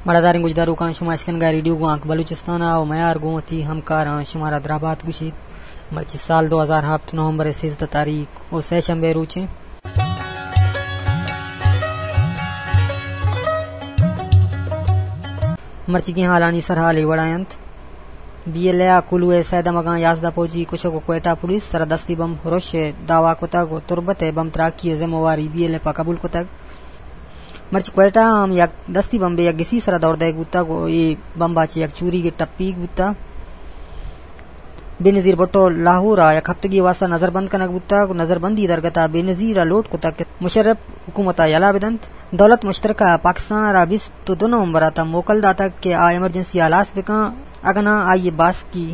مڑاداریں گوشداروکاں، شما اشکنگا ریڈیو گوانک بلوچستان ءَ ءُ میار گوں وتی ہمکاراں شمارا درابات گوشیت۔ مرچی سال دو ہزار ہپت نومبر ءِ سیزدہ تاریخ ءُ سہ شنبے روچیں۔ مرچیگیں حالانی سرحال اے وڑا انت۔ بی ایل اے ءَ کولو ءِ سئے دمگاں یازدہ پوجی کشگ ءُ کوئٹہ پولیس سرا دستی بمب ہرش ءِ دعویٰ کتگ ءُ تربت ءِ بمب تراکی ءِ ذمہ واری بی ایل ایف ءَ قبول کتگ۔ مرچی کوئٹہ ءَ ہم یک دستی بمبے یک گسی سرا دور دئیگ بوتگ ءُ اے بمب ءَ چہ یک چوریگے ٹپیگ بوتگ۔ بے نظیر بھٹو لاہور ءَ یک ہفتگے واسطہ نظر بند کنگ بوتگ ءُ نظر بندی درگت ءَ بے نظیر ءَ لوٹ کتگ کہ مشرف حکومت ءَ یلہ بدنت۔ دولت مشترکہ ءَ پاکستان ءَ را بیست ءُ دو نومبر ءَ تاں موکل داتگ کہ آ ایمرجنسی ہلاس بکن، اگاں ناں آئی ءِ باسکی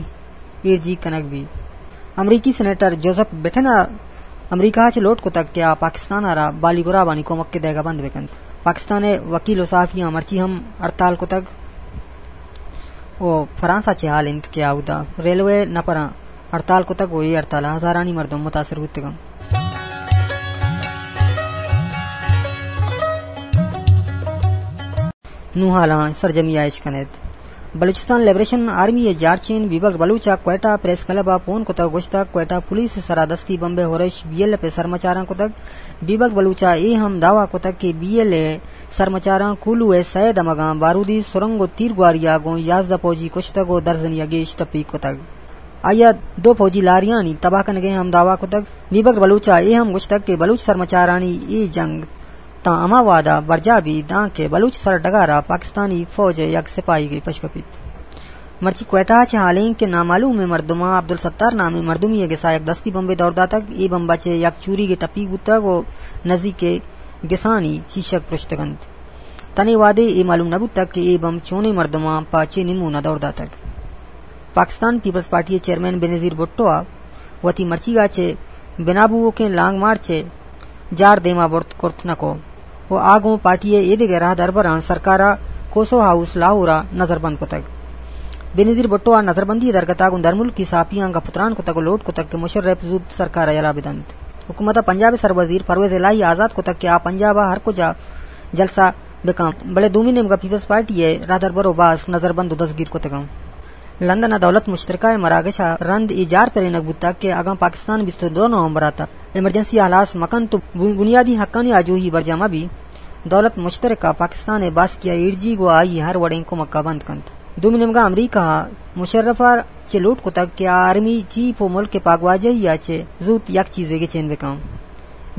ایرجیگ کنگ بیت۔ امریکی سینیٹر جوزف بیٹن ءَ امریکہ ءَ چہ لوٹ کتگ کہ آ پاکستان ءَ را بالی گرابانی کمک ءِ دئیگ ءَ بند بکنت۔ پاکستان ءِ وکیل ءُ صحافیاں مرچی ہم ہڑتال کتگ ءُ فرانس ءَ چہ ہال انت کہ آ اودا ریلوے نپراں ہڑتال کتگ ءُ اے ہڑتال ءَ ہزارانی مردم متاثر بوتگ انت۔ نوں حالاں سرجمی ءَ اش کن ات۔ بلوچستان لبریشن آرمی ءِ جارچین بیبگر بلوچ ءَ کوئٹہ پریس کلب ءَ پون کتگ ءُ گوشتگ کوئٹہ پولیس ءِ سرا دستی بمب ءِ ہرش بی ایل ایف ءِ سرمچاراں کتگ۔ بیبگر بلوچ ءَ اے ہم دعویٰ کتگ کہ بی ایل ایف ءِ سرمچاراں کولو ءِ سئے دمگاں بارودی سرنگ ءُ تیرگواری ءَ گوں یازدہ پوجی کشتگ ءُ درزنے ءَ گیش ٹپیگ کتگ۔ آئی ءَ دو پوجی لاریانی تباہ کنگ ءِ ہم دعویٰ کتگ۔ بیبگر بلوچ ءَ اے ہم گوشتگ کہ بلوچ سرمچارانی اے جنگ تاں ہما وہد ءَ برجاہ بیت دانکہ بلوچ سرڈگار ءَ پاکستانی فوج ءِ یک سپاہیگے پشکپیت۔ مرچی کوئٹہ ءَ چہ ہالیں کہ نامعلومیں مردماں عبدالستار نامیں مردمے ءِ گس ءَ یک دستی بمبے دور داتگ۔ اے بمب ءَ چہ یک چوریگے ٹپیگ بوتگ ءُ نزیک ءَ گسانی چیشگ پرشتگ انت۔ تنے وہدے اے معلوم نہ بوتگ کہ اے بمب چونیں مردماں پہ چے نیمون ءَ دور داتگ۔ پاکستان پیپلز پارٹی ءِ چیئرمین بینظیر بھٹو ءَ وتی مرچیگ ءَ چہ بنا بوؤکیں لانگ مارچ ءِ جار دیما برت کرت نہ کو ءُ آ گوں پارٹی ءِ ایدگہ راہدربراں سرکار ءَ کوسو ہاؤس لاہور ءَ نظر بند کتگ۔ بینظیر بھٹو ءَ نظر بندی ءِ درگت ءَ گوں درملکی صحافیاں گپ ءُ تران کتگ ءُ لوٹ کتگ کہ مشرف زوت سرکار ءَ یلہ بدنت۔ حکومت ءَ پنجاب ءِ سربزیر پرویز الہی آزاد کتگ کہ آ پنجاب ءَ ہر کجا جلسہ بکن، بلے دومی نیمگا پیپلز پارٹی ءِ راہدربر ءُ باسک نظر بند ءُ دزگیر کتگ انت۔ لندن ءَ دولت مشترکہ ءِ مراگش ءَ رند اے جار پرینگ بوتگ کہ اگاں پاکستان بیست ءُ دو نومبر ءَ تاں ایمرجنسی ءَ ہلاس مکنت ءُ بن-، بنیادی حقانی آجوئی برجاہ مہ بیت، دولت مشترکہ پاکستان ءِ باسکی ءِ ایرجیگ ءُ آئی ءِ ہر وڑیں کمک ءَ بند کنت۔ دومی نیمگا امریکہ ءَ مشرف ءَ چہ لوٹ کتگ کہ آ آرمی چیف ءُ ملک ءِ پاگواجہی ءَ چہ زوت یک چیزے گچین بکن۔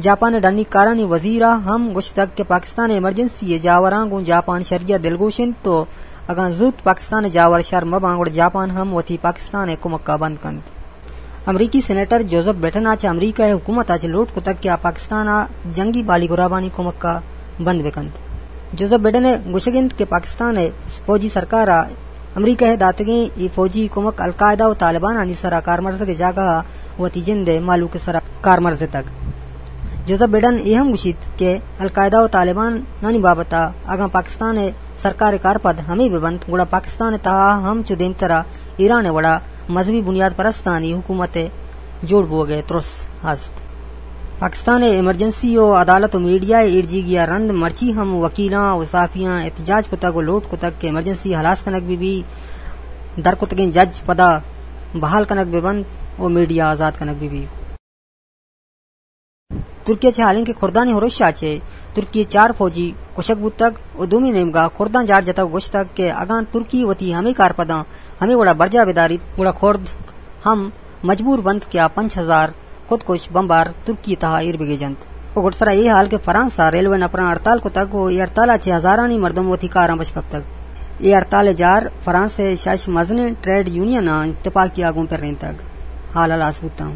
جاپان ءِ ڈنی کارانی وزیر ءَ ہم گوشتگ کہ پاکستان ءِ ایمرجنسی ءِ جاوراں گوں جاپان شری ءَ دلگوش انت ءُ اگاں زوت پاکستان ءِ جاور شر مہ باں گڑا جاپان ہم وتی پاکستان ءِ کمک ءَ بند کنت۔ امریکی سینیٹر جوزف بیٹن ءَ چہ امریکہ ءِ حکومت ءَ چہ لوٹ کتگ کہ آ پاکستان ءَ جنگی بالی گرابانی کمک ءَ بند بکنت۔ جوزف بیٹن ءِ گوشگ انت کہ پاکستان ءِ فوجی سرکار ءَ امریکہ ءِ داتگیں اے فوجی کمک القاعدہ ءُ طالبانانی سرا کارمرزگ ءِ جاگہ ءَ وتی جند ءِ مہلوک ءِ سرا کارمرز اتگ۔ جوزف بیڈن اے ہم گوشیت کہ القاعدہ ءُ طالبانانی بابت ءَ اگاں پاکستان ءِ سرکار ءِ کارپد ہمے بہ بنت، گڑا پاکستان ءِ تہا ہم چو دیمترا ایران ءِ وڑا مذہبی بنیاد پرستانی حکومت ءِ جوڑ بوگ ءِ ترس ہست۔ پاکستان ءِ ایمرجنسی ءُ عدالت ءُ میڈیا ءِ ایرجیگی ءَ رند مرچی ہم وکیلاں ءُ صحافیاں احتجاج کتگ ءُ لوٹ کتگ کہ ایمرجنسی ہلاس کنگ بہ بی، در کتگیں جج پدا بحال کنگ بہ بنت ءُ میڈیا آزاد کنگ بہ بی۔ ترکی ءَ چہ ہالیں کہ کردانی ہرش ءَ چہ ترکی ءِ چار فوجی کشگ بوتگ ءُ دومی نیمگا کرداں جار جتگ ءُ گوشتگ کہ اگاں ترکی وتی ہمے کارپداں ہمے وڑا برجاہ بداریت، گڑا کرد ہم مجبور بنت کہ آ پنچ ہزار خودکش بمبار ترکی ءِ تہا ایر بگیجنت۔ ءُ گڈسرا اے ہال کہ فرانس ءَ ریلوے نپراں ہڑتال کتگ ءُ اے ہڑتال ءَ چہ ہزارانی مردم وتی کاراں پش کپتگ۔ اے ہڑتال ءِ جار فرانس ءِ شش مزنیں ٹریڈ یونیناں اتفاقی ءَ گوں پرینتگ۔ ہال ہلاس بوتاں۔